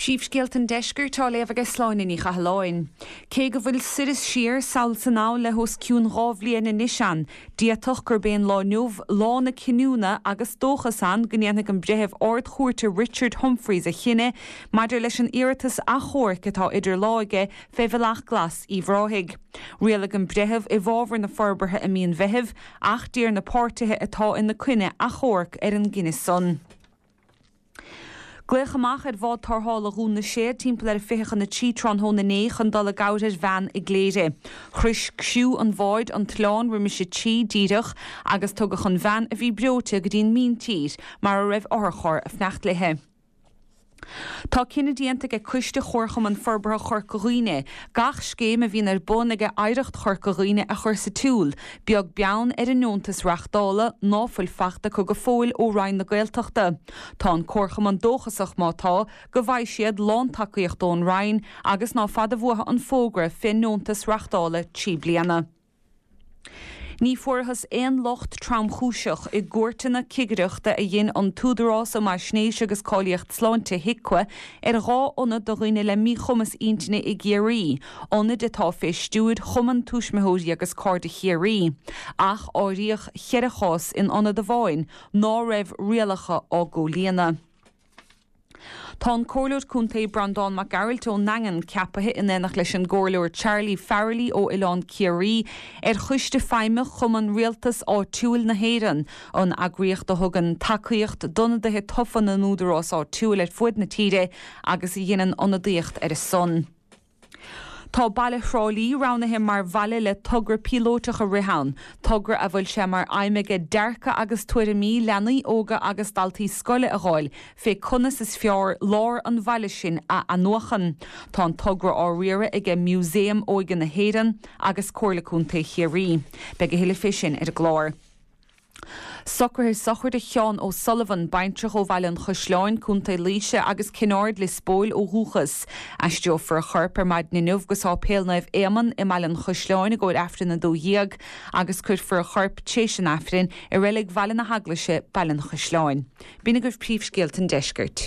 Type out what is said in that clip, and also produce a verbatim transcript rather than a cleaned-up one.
Príomhscéalta an Deiscirt á léamh ag Sláine Ní Chathalláin. Cé go bhfuil soir is siar sall is anall le hos cionn dhá bhliain anois ann, d'fhéadfadh gurb é an lá inniu lá na cinniúna agus dóchas ann go ndéanfaidh an breitheamh ardchúirte Richard Humphreys a chinneadh maidir leis an iarratas achomhairc atá idir lámha aige fé Bhealach Glas Uíbh Ráthaigh. Rialaigh an breitheamh i bhfabhar na forbartha i mí an Mheithimh ach d'iarr na páirtithe atá ina coinne achomharc ar an gcinneadh san. Glaodh amach ar bhád tarrthála Dhún na Séad timpeall ar a fiche chun a trí tráthnóna inné chun dul i gcabhair ar bhean i gCléire. Shroich criú an bháid an t-oileán roimis a trí díreach agus tugadh an bhean a bhí breoite go dtí an míntír mar a raibh otharcharr ag fanacht léi. Tá cinneadh déanta ag Coiste Chomharchumann Forbartha Chorca Dhuibhne gach scéim a bhíonn ar bun ag Oidhreacht Chorca Dhuibhne a chur sa tsiúl, beag beann ar an ndeontas reachtála ná fuil fachta acu go fóill ó Roinn na Gaeltachta. Tá an Comharchumann dóchasach má tá go bhfaighidh siad lántacaíocht ón Roinn agus ná fada uathu an fógra fén ndeontas reachtála trí bliana. Ní fuarthas aon locht tromchúiseach i gcuairteanna cigireachta a dhein an tÚdarás um Fhaisnéis agus Cáilíocht Sláinte HIQA ar dhá ionad do dhaoine le míchumas intinne i gCiarraí, ionaid atá fé stiúir Chumann Tuismitheoirí agus Cairde Chiarraí, ach áiríodh ceithre chás in ionad amháin ná raibh rialacha á gcomhlíonadh. Tá an Comhairleoir Contae Breandán Mac Gearailt ón nDaingean ceaptha in éineacht leis an gComhairleoir Charlie Farrelly ó Oileán Ciarraí ar choiste feidhmeach Chumann Rialtas Áitiúil na hÉireann, an eagraíocht a thugann tacaíocht d'ionadaithe tofa na n-údarás áitiúil ar fud na tíre agus a dhéanann ionadaíocht ar a son. Tá baile Thrá Lí roghnaithe mar bhaile le togra píolótach a rith ann, togra a bhfuil sé mar aidhm aige dearcadh agus tuairimí leanaí óga agus daltaí scoile a fháil fé conas is fearr lár an bhaile sin a athnuachan. Tá an togra á riaradh aige Músaem Óige na hÉireann agus Comhairle Contae Chiarraí. Beidh a thuilleadh fé sin ar an gclár. Socruithe sochraide Sheán O'Sullivan, baintreach ó Bhaile an Chaisleáin, Contae Laoise agus Cinn Aird Lios Póil ó dhúchas. Aistreofar a chorp ar maidin inniu go Sáipéal Naomh Éamonn i mBaile an Chaisleáin i gcomhair Aifreann a dó dhéag agus cuirfear a chorp tréis an Aifrinn i reilig Bhaile na hEaglaise, Baile an Chaisleáin. B'in agaibh príomhscéalta an deiscirt.